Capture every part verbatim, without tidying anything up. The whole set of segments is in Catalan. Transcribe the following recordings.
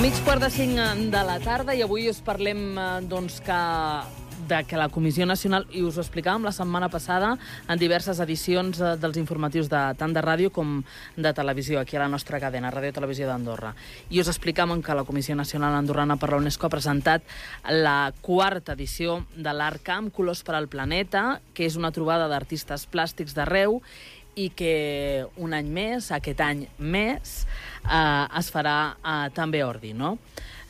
Mig quart de cinc de la tarda i avui us parlem doncs, que, de que la Comissió Nacional, i us ho explicàvem la setmana passada en diverses edicions dels informatius de, tant de ràdio com de televisió, aquí a la nostra cadena, Ràdio Televisió d'Andorra. I us explicàvem que la Comissió Nacional Andorrana per la UNESCO ha presentat la quarta edició de l'ArtCamp Colors per al Planeta, que és una trobada d'artistes plàstics d'arreu i que un any més, aquest any més, eh, es farà eh, també a Ordi, no?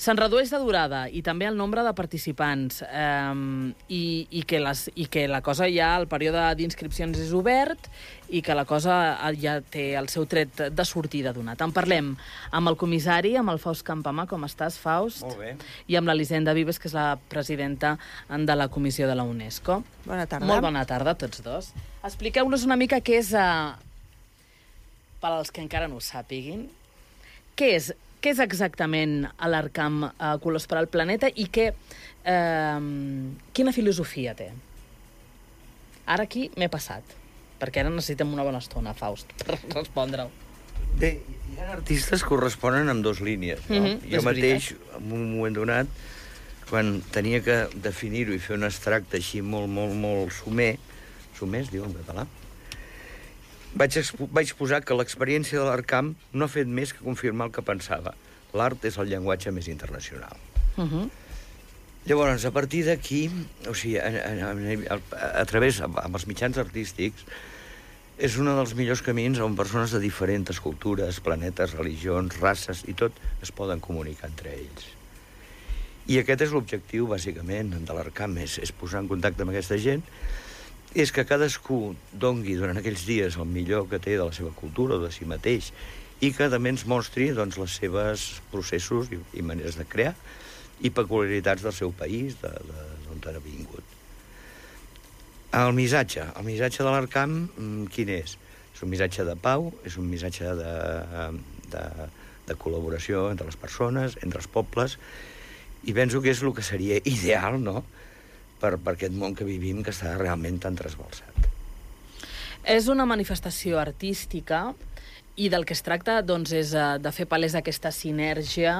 Se'n redueix de durada i també el nombre de participants eh, i, i, que les, i que la cosa ja, el període d'inscripcions és obert i que la cosa ja té el seu tret de sortida donat. En parlem amb el comissari, amb el Faust Campamà. Com estàs, Faust? Molt bé. I amb l'Elisenda Vives, que és la presidenta de la Comissió de la UNESCO. Bona tarda. Molt bona tarda a tots dos. Expliqueu-nos una mica què és, uh, per als que encara no ho sàpiguin, què és, què és exactament l'ArtCamp uh, Colors per al Planeta i què, uh, quina filosofia té? Ara aquí m'he passat, perquè ara necessitem una bona estona, Faust, per respondre-ho. Bé, hi ha artistes que corresponen amb dues línies, no? Mm-hmm, jo és mateix, en un moment donat, quan tenia que definir-ho i fer un extracte així molt, molt, molt sumer, sumer es diu en català, vaig, vaig posar que l'experiència de l'ArtCamp no ha fet més que confirmar el que pensava. L'art és el llenguatge més internacional. Uh-huh. Llavors, a partir d'aquí, o sigui, a, a, a, a través, amb els mitjans artístics, és un dels millors camins on persones de diferents cultures, planetes, religions, races i tot es poden comunicar entre ells. I aquest és l'objectiu, bàsicament, de l'ArtCamp, és, és posar en contacte amb aquesta gent, és que cadascú dongui durant aquells dies el millor que té de la seva cultura o de si mateix i que també ens mostri doncs, les seves processos i, i maneres de crear i peculiaritats del seu país, de, de, d'on ha vingut. El missatge. El missatge de l'ArtCamp, quin és? És un missatge de pau, és un missatge de, de, de col·laboració entre les persones, entre els pobles, i penso que és el que seria ideal, no?, per, per aquest món que vivim, que està realment tan trasbalsat. És una manifestació artística i del que es tracta doncs, és de fer palès aquesta sinergia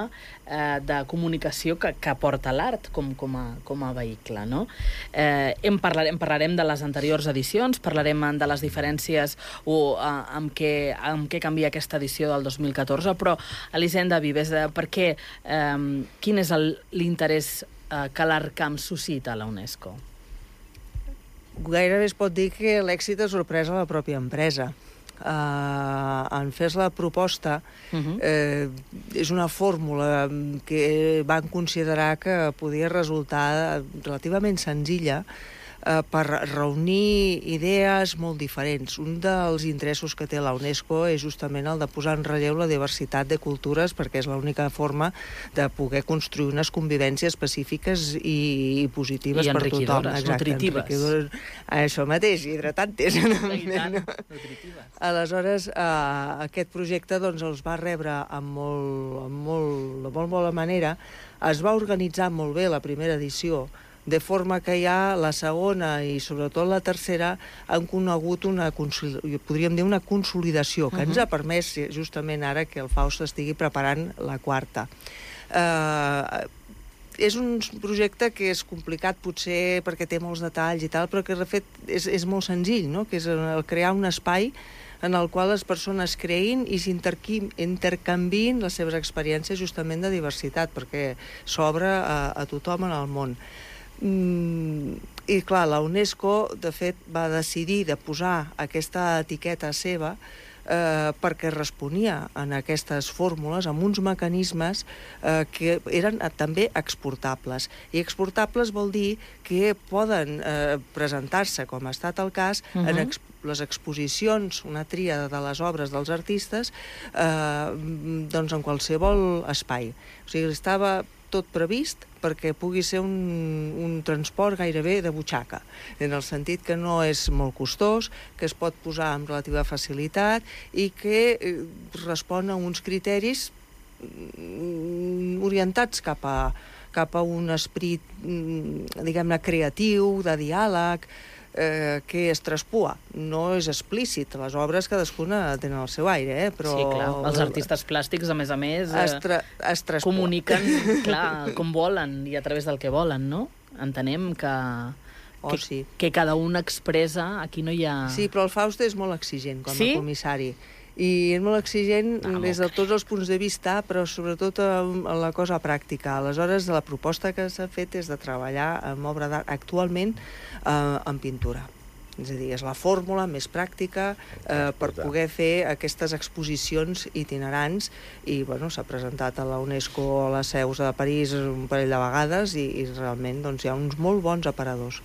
eh, de comunicació que, que aporta l'art com, com, a, com a vehicle, no? Eh, en parlarem, parlarem de les anteriors edicions, parlarem de les diferències o eh, amb, què, amb què canvia aquesta edició del dos mil catorze, però, Elisenda Vives, eh, per què, eh, quin és el, l'interès eh, que l'ArtCamp suscita a la UNESCO? Gairebé es pot dir que l'èxit és sorpresa a la pròpia empresa. Uh, en fes la proposta, uh-huh. eh, és una fórmula que van considerar que podia resultar relativament senzilla eh, per reunir idees molt diferents. Un dels interessos que té la UNESCO és justament el de posar en relleu la diversitat de cultures, perquè és l'única forma de poder construir unes convivències pacífiques i, i positives I per tothom. Exacte, nutritives. Enriquidores. Això mateix, hidratantes. I tant, nutritives. Aleshores, eh, aquest projecte doncs, els va rebre amb molt, amb molt, de molt bona manera. Es va organitzar molt bé la primera edició, de forma que ja la segona i sobretot la tercera han conegut una, podríem dir, una consolidació que uh-huh. ens ha permès justament ara que el Faust estigui preparant la quarta. Eh, és un projecte que és complicat potser perquè té molts detalls i tal, però que de fet és, és molt senzill, no? Que és el crear un espai en el qual les persones creïn i s'intercanviïn les seves experiències justament de diversitat, perquè s'obre a, a tothom en el món. Mm, i clar, la UNESCO de fet va decidir de posar aquesta etiqueta seva eh, perquè responia en aquestes fórmules amb uns mecanismes eh, que eren eh, també exportables, i exportables vol dir que poden eh, presentar-se, com ha estat el cas, uh-huh. en exp les exposicions, una tríada de les obres dels artistes, eh, doncs en qualsevol espai. O sigui, estava tot previst perquè pugui ser un, un transport gairebé de butxaca, en el sentit que no és molt costós, que es pot posar amb relativa facilitat i que eh, respon a uns criteris orientats cap a, cap a un esperit, diguem-ne, creatiu, de diàleg, eh, que es traspua. No és explícit. Les obres cadascuna tenen el seu aire, eh? Però... Sí, clar. Els artistes plàstics, a més a més, eh, es, tra es traspua. comuniquen, clar, com volen i a través del que volen, no? Entenem que... Oh, que, sí. que cada un expressa, aquí no hi ha... Sí, però el Faust és molt exigent com a sí? comissari. I és molt exigent Ah, des de tots els punts de vista, però sobretot en la cosa pràctica. Aleshores, la proposta que s'ha fet és de treballar amb obra d'art actualment eh, en pintura. És a dir, és la fórmula més pràctica eh, per poder fer aquestes exposicions itinerants i bueno, s'ha presentat a la UNESCO a les seus de París un parell de vegades i, i realment doncs, hi ha uns molt bons aparadors.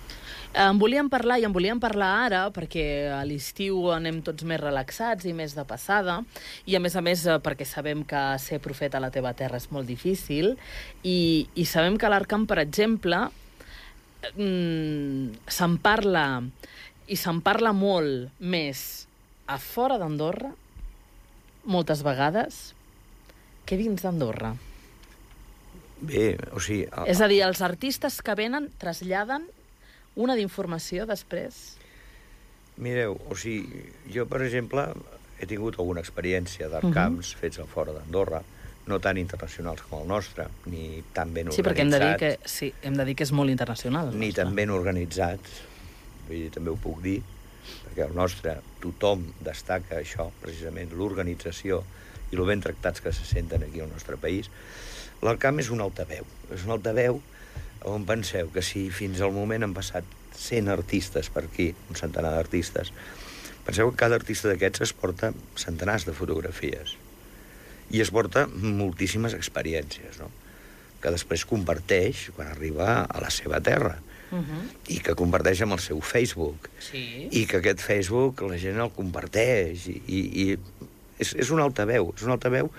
En volíem parlar, i en volíem parlar ara, perquè a l'estiu anem tots més relaxats i més de passada, i a més a més perquè sabem que ser profeta a la teva terra és molt difícil, i, i sabem que a l'Arcamp, per exemple, mmm, se'n parla, i se'n parla molt més a fora d'Andorra, moltes vegades, que dins d'Andorra. Bé, o sigui... El... És a dir, els artistes que venen traslladen una d'informació després? Mireu, o sigui, jo, per exemple, he tingut alguna experiència d'arcamps uh -huh. fets a fora d'Andorra, no tan internacionals com el nostre, ni tan ben organitzats. Sí, perquè hem de dir que, sí, hem de dir que és molt internacional. Ni tan ben organitzats, vull dir, també ho puc dir, perquè el nostre, tothom destaca això, precisament, l'organització i el ben tractats que se senten aquí al nostre país. L'Arcamp és un altaveu, és un altaveu on penseu que si fins al moment han passat cent artistes per aquí, un centenar d'artistes, penseu que cada artista d'aquests es porta centenars de fotografies i es porta moltíssimes experiències, no? Que després comparteix quan arriba a la seva terra uh-huh. i que comparteix amb el seu Facebook sí. i que aquest Facebook la gent el comparteix i, i, i és, és un altaveu, és un altaveu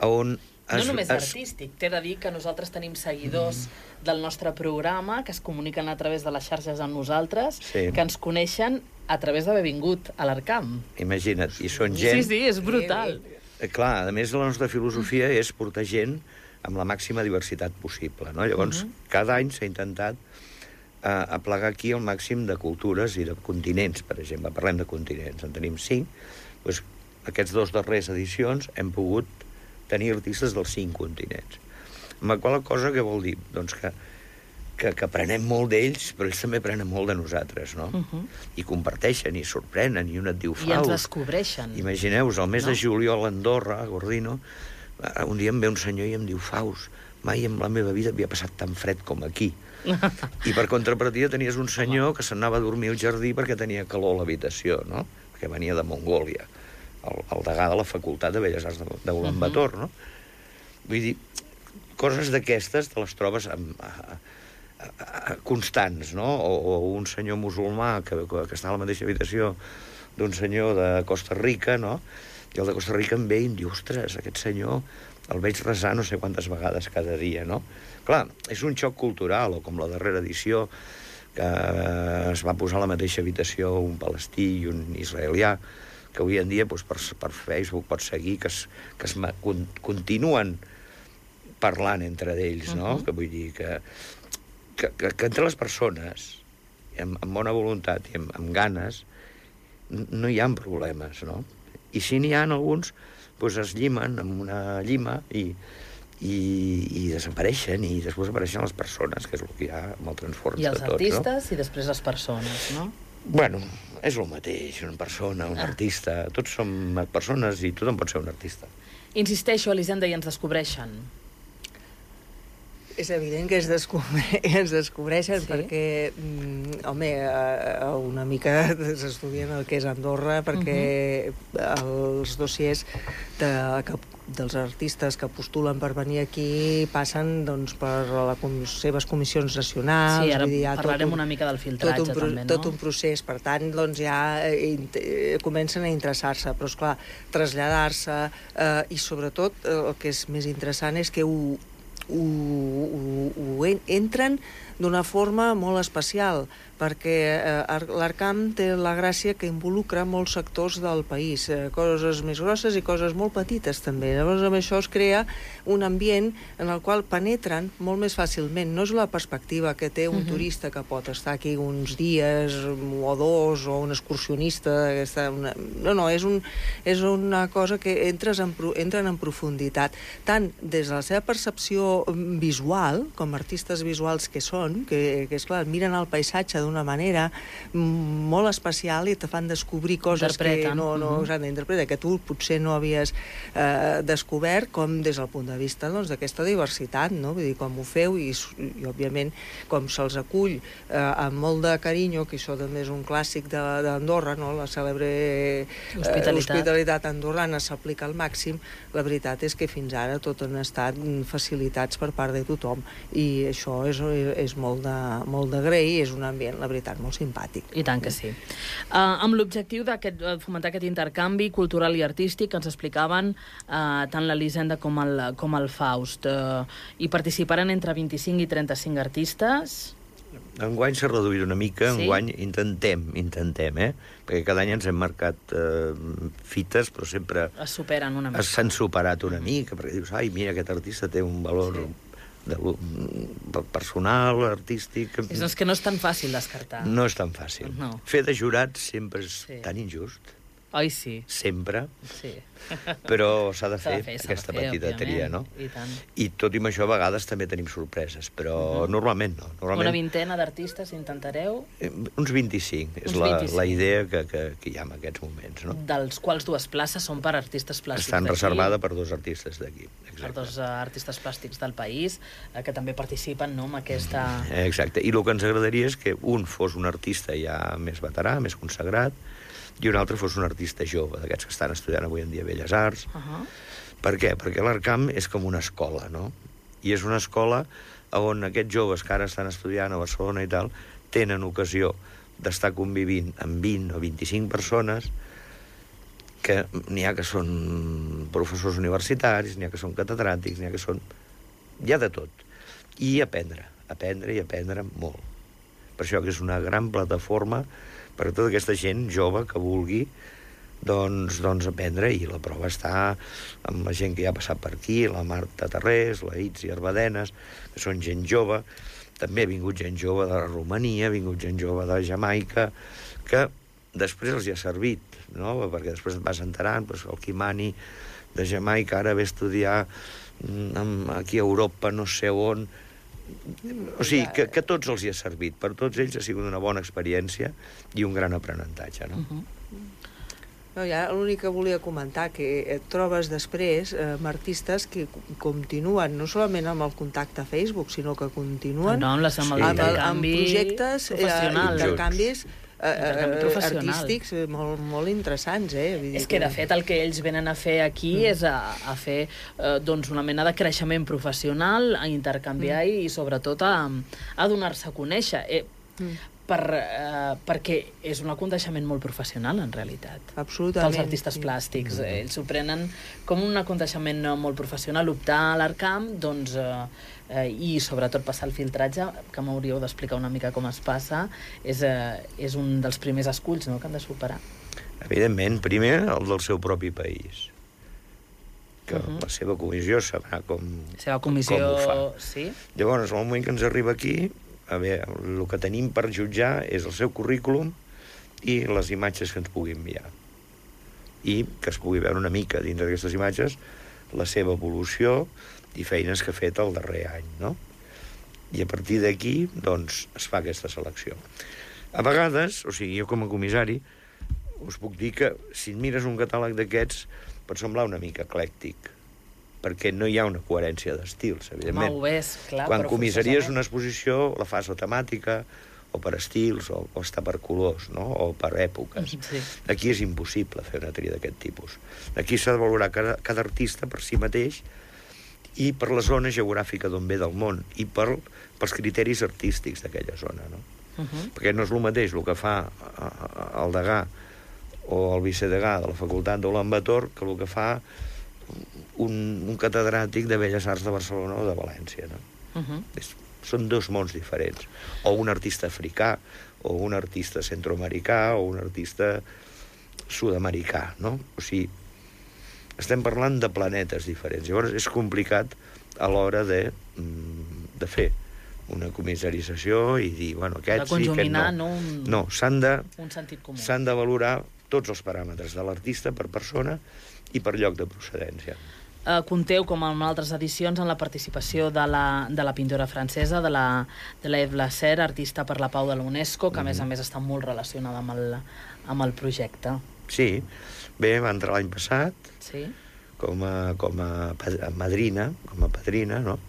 on no es, només es... artístic, t'he de dir que nosaltres tenim seguidors mm. del nostre programa que es comuniquen a través de les xarxes amb nosaltres, sí. que ens coneixen a través d'haver vingut a l'Arcamp. Imagina't, i són gent... Sí, sí, és brutal. Eh, clar, a més la nostra filosofia és portar gent amb la màxima diversitat possible, no? Llavors, uh -huh. cada any s'ha intentat eh, aplegar aquí el màxim de cultures i de continents, per exemple. Parlem de continents, en tenim cinc. Doncs, aquests dos darrers edicions hem pogut tenir artistes dels cinc continents. Amb la qual cosa, què vol dir? Doncs que, que, que aprenem molt d'ells, però ells també aprenen molt de nosaltres, no? Uh -huh. I comparteixen, i sorprenen, i un et diu Faust. I ens descobreixen. Imagineu-vos, el mes no? de juliol a Andorra, a Gordino, un dia em ve un senyor i em diu Faust, mai en la meva vida havia passat tan fred com aquí. I per contrapartida tenies un senyor que s'anava a dormir al jardí perquè tenia calor a l'habitació, no? Perquè venia de Mongòlia. El, el degà de la Facultat de Belles Arts d'Ulan Bator, uh -huh. no? Vull dir, coses d'aquestes te les trobes amb, a, a, a, constants, no? O, o un senyor musulmà que, que està a la mateixa habitació d'un senyor de Costa Rica, no? I el de Costa Rica em ve i em diu, ostres, aquest senyor el veig resar no sé quantes vegades cada dia, no? Clar, és un xoc cultural, o com la darrera edició, que es va posar a la mateixa habitació un palestí i un israelià, que avui en dia doncs, per, per Facebook pots seguir que es, que es con, continuen parlant entre ells, no? Uh -huh. Que vull dir que, que, que, que entre les persones, amb, amb bona voluntat i amb, amb ganes, no hi ha problemes, no? I si n'hi ha alguns, doncs es llimen amb una llima i, i, i desapareixen, i després apareixen les persones, que és el que hi ha amb el transform de tots, no? I els artistes i després les persones, no? Bueno, és el mateix, una persona, un ah. artista, tots som persones i tothom pot ser un artista. Insisteixo, Elisenda, i ens descobreixen. És evident que es, descobre... es descobreixen sí? perquè, mm, home, una mica s'estudien el que és Andorra, perquè uh-huh. els dossiers de, que, dels artistes que postulen per venir aquí passen doncs, per la, les seves comissions nacionals. Sí, ara vull dir, parlarem un, una mica del filtratge, tot un, també, no? Tot un procés, per tant, doncs ja eh, comencen a interessar-se, però, esclar, traslladar-se eh, i, sobretot, eh, el que és més interessant és que ho Ho, ho, ho entren d'una forma molt especial, perquè eh, l'Arcam té la gràcia que involucra molts sectors del país, eh, coses més grosses i coses molt petites també. Llavors amb això es crea un ambient en el qual penetren molt més fàcilment. No és la perspectiva que té un uh-huh. turista que pot estar aquí uns dies o dos, o un excursionista que està una... no, no, és, un, és una cosa que entres en, entren en profunditat, tant des de la seva percepció visual, com artistes visuals que són, que, que és clar, miren el paisatge d'una manera molt especial i te fan descobrir coses que no, no uh-huh. s'han d'interpretar, que tu potser no havies eh, descobert, com des del punt de vista doncs, d'aquesta diversitat, no? Vull dir, com ho feu i, i òbviament, com se'ls acull eh, amb molt de carinyo, que això també és un clàssic d'Andorra, no? La cèlebre eh, hospitalitat. hospitalitat andorrana s'aplica al màxim. La veritat és que fins ara tot han estat facilitats per part de tothom i això és, és molt de, molt d'agrair i és un ambient, la veritat, molt simpàtic. I tant que sí. Uh, amb l'objectiu de fomentar aquest intercanvi cultural i artístic que ens explicaven uh, tant l'Elisenda com, el, com el Faust. Uh, hi participaran entre vint-i-cinc i trenta-cinc artistes. Enguany s'ha reduït una mica, sí? Enguany intentem, intentem, eh? Perquè cada any ens hem marcat eh, fites, però sempre... Es superen una mica. S'han superat una mica, perquè dius, ai, mira, aquest artista té un valor sí. de, personal, artístic... És que no és tan fàcil descartar. No és tan fàcil. No. Fer de jurat sempre és sí. tan injust. Oi, sí. Sempre. Sí. Però s'ha de fer, fer aquesta de fer, petiteria, no? I tant. I tot i amb això, a vegades també tenim sorpreses, però uh-huh. normalment no. Normalment... Una vintena d'artistes intentareu? Eh, uns vint-i-cinc, és la, la idea que, que, que hi ha en aquests moments, no? Dels quals dues places són per artistes plàstics Estan reservades per dos artistes d'aquí. Per dos uh, artistes plàstics del país, uh, que també participen, no?, en aquesta... Exacte, i el que ens agradaria és que un fos un artista ja més veterà, més consagrat, i un altre fos un artista jove, d'aquests que estan estudiant avui en dia Belles Arts. Uh-huh. Per què? Perquè l'Arcam és com una escola, no? I és una escola on aquests joves que ara estan estudiant a Barcelona i tal, tenen ocasió d'estar convivint amb vint o vint-i-cinc persones, que n'hi ha que són professors universitaris, n'hi ha que són catedràtics, n'hi ha que són... Hi ha de tot. I aprendre, aprendre i aprendre molt. Per això que és una gran plataforma per a tota aquesta gent jove que vulgui doncs, doncs aprendre, i la prova està amb la gent que ja ha passat per aquí, la Marta Tarrés, la Itzi Arbadenes, que són gent jove. També ha vingut gent jove de Romania, ha vingut gent jove de Jamaica, que després els hi ha servit, no? Perquè després et vas enterant, doncs el Kimani de Jamaica ara ve a estudiar aquí a Europa, no sé on. O sigui, que, que tots els hi ha servit. Per tots ells ha sigut una bona experiència i un gran aprenentatge, no? Uh-huh. No, ja l'únic que volia comentar, que et trobes després eh, amb artistes que continuen, no solament amb el contacte a Facebook, sinó que continuen no, amb, les, amb, amb, amb projectes, eh, intercanvis eh, eh, artístics molt, molt interessants, eh? Vull dir és que, de fet, el que ells venen a fer aquí mm. és a, a fer eh, doncs una mena de creixement professional, a intercanviar mm. i, sobretot, a, a donar-se a conèixer. Eh, mm. per, eh, perquè és un aconteixement molt professional, en realitat. Absolutament. Pels artistes plàstics. Mm. Ells s'ho prenen com un aconteixement molt professional. Optar a l'Arcam, doncs, eh, eh, i sobretot passar el filtratge, que m'hauríeu d'explicar una mica com es passa, és, eh, és un dels primers esculls, no?, que han de superar. Evidentment, primer el del seu propi país, que uh-huh. la seva comissió sabrà com, la seva comissió, com ho fa. Sí? Llavors, al moment que ens arriba aquí, a veure, el que tenim per jutjar és el seu currículum i les imatges que ens pugui enviar. I que es pugui veure una mica dins d'aquestes imatges la seva evolució i feines que ha fet el darrer any, no? I a partir d'aquí, doncs, es fa aquesta selecció. A vegades, o sigui, jo com a comissari, us puc dir que si mires un catàleg d'aquests pot semblar una mica eclèctic, perquè no hi ha una coherència d'estils, evidentment. Home, ho és, clar, quan comissaries una exposició, la fas o temàtica, o per estils, o, o està per colors, no?, o per èpoques. Sí. Aquí és impossible fer una tria d'aquest tipus. Aquí s'ha de valorar cada, cada artista per si mateix i per la zona geogràfica d'on ve del món i per, pels criteris artístics d'aquella zona, no? Uh-huh. Perquè no és el mateix el que fa el degà o el vicedegà de la facultat d'Ulan Bator que el que fa un, un catedràtic de Belles Arts de Barcelona o de València, no? Uh-huh. És, són dos mons diferents. O un artista africà, o un artista centroamericà, o un artista sud-americà, no? O sigui, estem parlant de planetes diferents. Llavors és complicat a l'hora de, de fer una comissarització i dir, bueno, aquest sí, aquest no. no, un... no, s'han de, un sentit comú. S'han de valorar tots els paràmetres de l'artista per persona i per lloc de procedència. Uh, compteu, com en altres edicions, en la participació de la, de la pintora francesa, de la, de la Eve Lasser, artista per la pau de la UNESCO, que a més a més està molt relacionada amb el, amb el projecte. Sí, bé, va entrar l'any passat sí. com, a, com a madrina, com a padrina, no?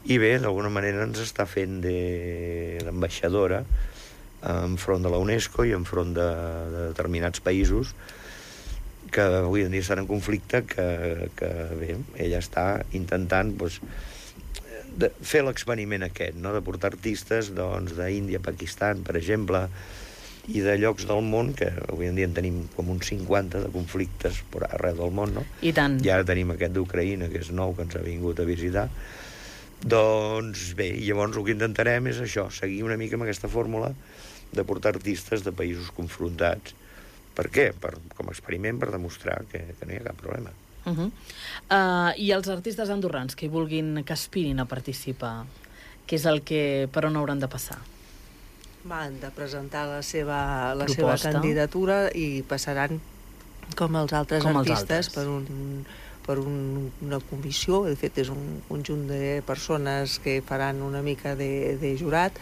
I bé, d'alguna manera ens està fent d'ambaixadora enfront de la UNESCO i enfront de, de determinats països que avui en dia estan en conflicte, que, que bé, ella està intentant doncs, de fer l'experiment aquest, no? De portar artistes doncs, d'Índia, Pakistan, per exemple, i de llocs del món, que avui en dia en tenim com uns cinquanta de conflictes per arreu del món, no? I tant. I ara tenim aquest d'Ucraïna, que és nou, que ens ha vingut a visitar. Doncs bé, llavors el que intentarem és això, seguir una mica amb aquesta fórmula de portar artistes de països confrontats. Per què? Per, com a experiment, per demostrar que, que no hi ha cap problema. Uh -huh. uh, I els artistes andorrans que hi vulguin, que aspirin a participar, què és el que, per on hauran de passar? Han de presentar la seva, la seva candidatura i passaran, com els altres com artistes, els altres. per un... per un, una comissió, de fet és un conjunt de persones que faran una mica de, de jurat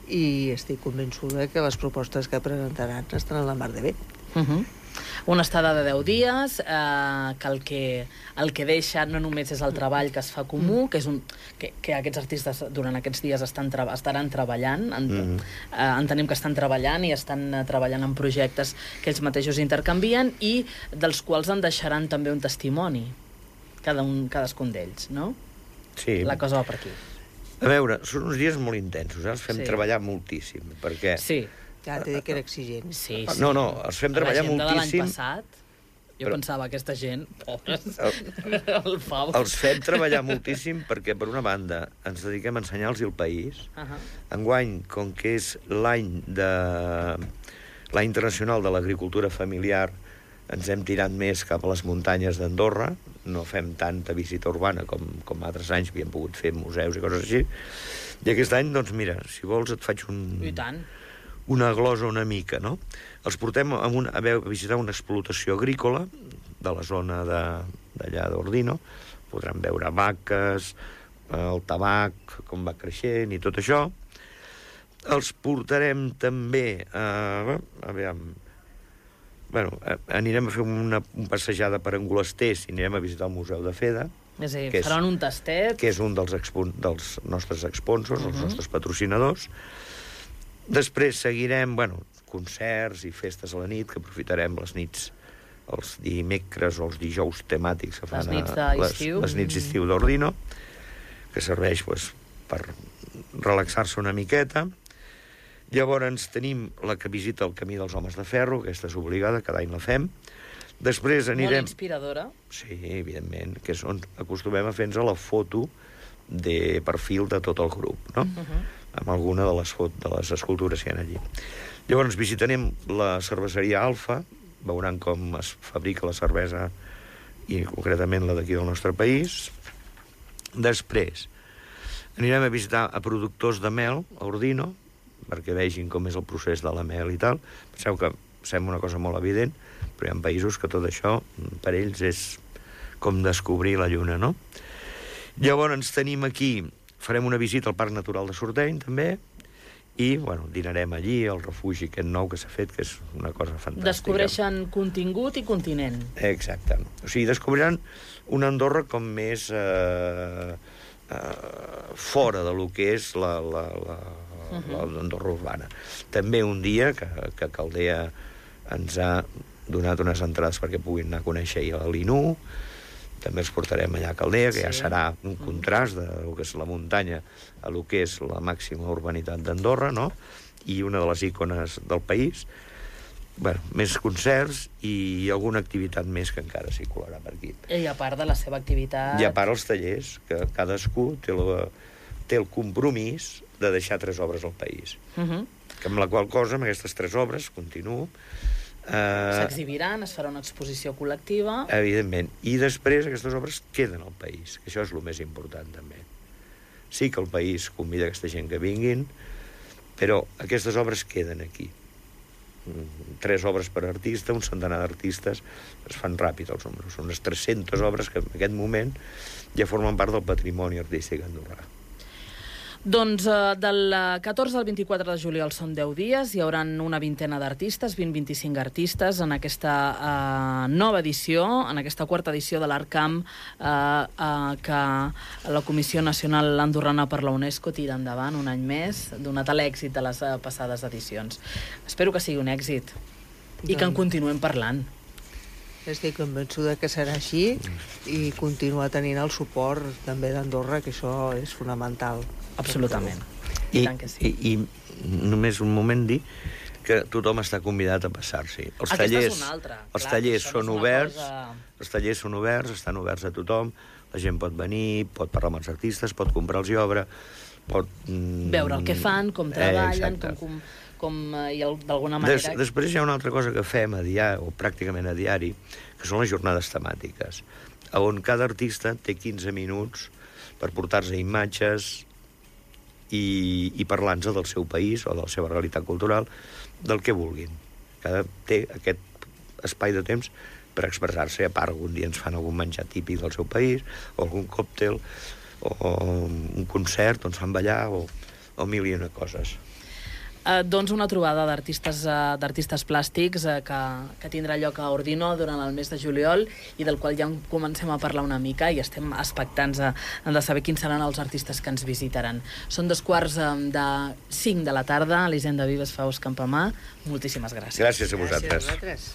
i estic convençuda que les propostes que presentaran estaran a la mar de bé. Uh -huh. Una estada de deu dies, eh, que, el que el que deixa no només és el treball que es fa comú, mm. que és un que, que aquests artistes durant aquests dies estan tra estaran treballant, en, mm. eh, entenem que estan treballant i estan eh, treballant en projectes que ells mateixos intercanvien i dels quals en deixaran també un testimoni, cada un, cadascun d'ells, no? Sí. La cosa va per aquí. A veure, són uns dies molt intensos, eh? Els fem sí. treballar moltíssim, perquè... Sí. Ja t'he dit que era exigent. Sí, sí. No, no, els fem treballar moltíssim... La gent de l'any passat, jo però... pensava, aquesta gent, pobres, el, el Pau... Els fem treballar moltíssim perquè, per una banda, ens dediquem a ensenyar-los el país. Uh -huh. Enguany, com que és l'any de... l'any internacional de l'agricultura familiar, ens hem tirat més cap a les muntanyes d'Andorra, no fem tanta visita urbana com, com altres anys, havíem pogut fer museus i coses així. I aquest any, doncs mira, si vols et faig un... I tant. una glosa una mica, no? Els portem a, un, a visitar una explotació agrícola de la zona d'allà d'Ordino. Podran veure vaques, el tabac, com va creixent i tot això. Els portarem també a... a veure, bueno, anirem a fer una, una passejada per Angolesters i anirem a visitar el Museu de Feda. És a dir, faran un tastet. Que és un dels, dels nostres sponsors, uh -huh. els nostres patrocinadors. Després seguirem, bueno, concerts i festes a la nit, que aprofitarem les nits, els dimecres o els dijous temàtics que fan les nits d'estiu, les, les nits d'estiu d'Ordino, que serveix pues, per relaxar-se una miqueta. Llavors tenim la que visita el Camí dels Homes de Ferro, aquesta és obligada, cada any la fem. Després anirem... Molt inspiradora. Sí, evidentment, que és on acostumem a fer-nos la foto de perfil de tot el grup, no? Uh -huh. Amb alguna de les, de les escultures que hi ha allí. Llavors visitarem la cerveseria Alfa, veuran com es fabrica la cervesa i concretament la d'aquí del nostre país. Després anirem a visitar a productors de mel a Ordino, perquè vegin com és el procés de la mel i tal. Penseu que sembla una cosa molt evident, però hi ha països que tot això per ells és com descobrir la lluna, no? Llavors tenim aquí, farem una visita al Parc Natural de Sorteny, també, i, bueno, dinarem allí, al refugi aquest nou que s'ha fet, que és una cosa fantàstica. Descobreixen contingut i continent. Exacte. O sigui, descobriran una Andorra com més eh, eh, fora de lo que és la, la, la, uh -huh. l'Andorra urbana. També un dia que, que Caldea ens ha donat unes entrades perquè puguin anar a conèixer a l'Inú. També els portarem allà a Caldea, que sí. ja serà un contrast de lo que és la muntanya a lo que és la màxima urbanitat d'Andorra, no? I una de les ícones del país. Bueno, més concerts i alguna activitat més que encara s'hi colarà per aquí. I a part de la seva activitat... I a part els tallers, que cadascú té la, té el compromís de deixar tres obres al país. Uh -huh. Que amb la qual cosa, amb aquestes tres obres, continuo... Eh, S'exhibiran, es farà una exposició col·lectiva... Evidentment. I després aquestes obres queden al país, que això és el més important, també. Sí que el país convida aquesta gent que vinguin, però aquestes obres queden aquí. Tres obres per artista, un centenar d'artistes, es fan ràpid els números. Són unes tres-centes obres que en aquest moment ja formen part del patrimoni artístic andorrà. Doncs eh, del catorze al vint-i-quatre de juliol són deu dies, hi haurà una vintena d'artistes, vint a vint-i-cinc artistes, en aquesta eh, nova edició, en aquesta quarta edició de l'Artcamp, eh, eh, que la Comissió Nacional Andorrana per la UNESCO tira endavant un any més, donat l'èxit de les eh, passades edicions. Espero que sigui un èxit i que en continuem parlant. Estic convençuda que serà així i continuar tenint el suport també d'Andorra, que això és fonamental. Absolutament. I, I tant que sí. I, I només un moment dir que tothom està convidat a passar-s'hi. Els Aquesta tallers, és una altra. els Clar, tallers això no són és una oberts, cosa- els tallers són oberts, estan oberts a tothom, la gent pot venir, pot parlar amb els artistes, pot comprar-los obra, pot... Mm, veure el que fan, com treballen, eh, com, com, com eh, i el- d'alguna manera... Des, després hi ha una altra cosa que fem a diari, o pràcticament a diari, que són les jornades temàtiques, on cada artista té quinze minuts per portar-se imatges i, i parlar-nos del seu país o de la seva realitat cultural, del que vulguin. Cada té aquest espai de temps per expressar-se. A part, algun dia ens fan algun menjar típic del seu país, o algun còctel, o un concert on ens fan ballar, o, o mil i una coses. Eh, doncs una trobada d'artistes eh, d'artistes plàstics eh, que, que tindrà lloc a Ordino durant el mes de juliol i del qual ja en comencem a parlar una mica i estem expectants a, a de saber quins seran els artistes que ens visitaran. Són dos quarts eh, de cinc de la tarda. Elisenda Vives, Faust Campamà, moltíssimes gràcies. Gràcies a vosaltres. Gràcies a vosaltres.